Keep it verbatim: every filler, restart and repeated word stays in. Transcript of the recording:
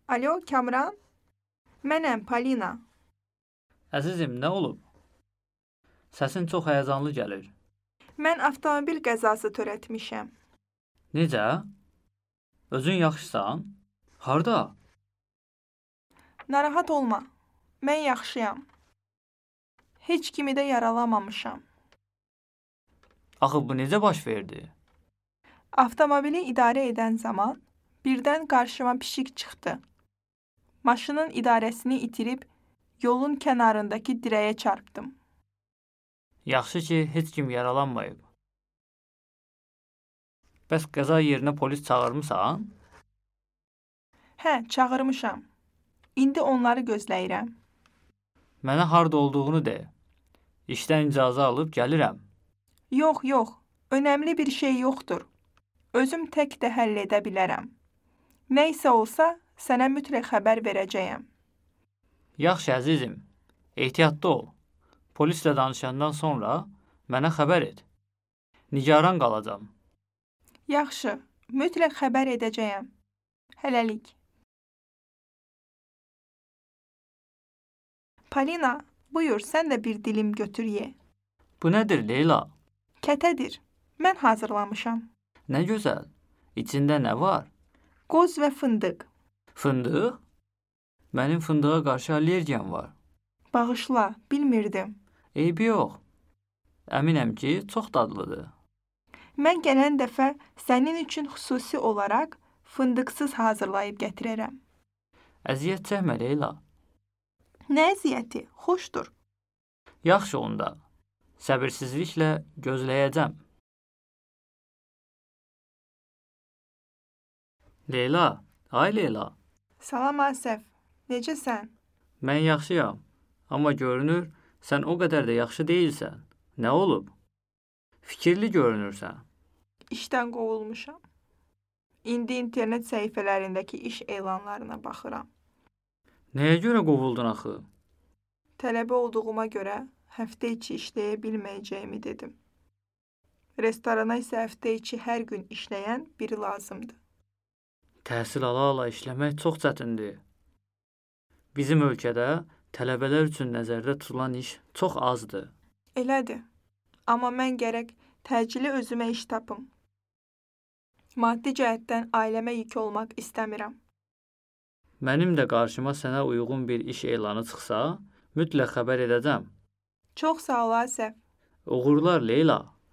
Alo, Kamran? Mənəm, Polina. Əzizim, nə olub? Səsin çox həyəcanlı gəlir. Mən avtomobil qəzası törətmişəm. Necə? Özün yaxşısan? Harda? Narahat olma. Mən yaxşıyam. Heç kimi də yaralamamışam. Axı bu necə baş verdi? Avtomobili idarə edən zaman birdən qarşıma pişik çıxdı. Maşının idarəsini itirib yolun kənarındakı dirəyə çarpdım. Yaxşı ki, heç kim yaralanmayıb. Bəs qəza yerinə polis çağırmısan? Hə, çağırmışam. İndi onları gözləyirəm. Mənə harda olduğunu de. İşdən icazə alıb gəlirəm. Yox, yox. Önəmli bir şey yoxdur. Özüm tək də həll edə bilərəm. Nə isə olsa, sənə mütləq xəbər verəcəyəm. Yaxşı, əzizim. Ehtiyatlı ol. Polislə danışandan sonra mənə xəbər et. Nigaran qalacam. Yaxşı, mütləq xəbər edəcəyəm. Hələlik. Polina, buyur, sən də bir dilim götür ye. Bu nədir, Leyla? Kətədir. Mən hazırlamışam. Nə gözəl. İçində nə var? Qoz və fındıq. Fındıq? Mənim fındığa qarşı allergiyam var. Bağışla, bilmirdim. Eybi yox. Əminəm ki, çox dadlıdır. Mən gələn dəfə sənin üçün xüsusi olaraq fındıqsız hazırlayıb gətirərəm. Əziyyət çəkmə, Leyla. Nə əziyyəti? Xoşdur. Yaxşı onda. Səbirsizliklə gözləyəcəm. Leyla, ay Leyla. Salam Asəf, necəsən? Mən yaxşıyam, amma görünür, sən o qədər də yaxşı deyilsən. Nə olub? Fikirli görünürsən. İşdən qovulmuşam. İndi internet səhifələrindəki iş elanlarına baxıram. Nəyə görə qovuldun axı? Tələbə olduğuma görə həftə içi işləyə bilməyəcəyimi dedim. Restorana isə həftə içi hər gün işləyən biri lazımdır. Təhsil ala-ala işləmək çox çətindir. Bizim ölkədə tələbələr üçün nəzərdə tutulan iş çox azdır. Elədir. Amma mən gərək təcili özümə iş tapım. Maddi cəhətdən ailəmə yük olmaq istəmirəm. Mənim də qarşıma sənə uyğun bir iş elanı çıxsa, mütləq xəbər edəcəm. Çox sağ ol, Asəf. Uğurlar, Leyla.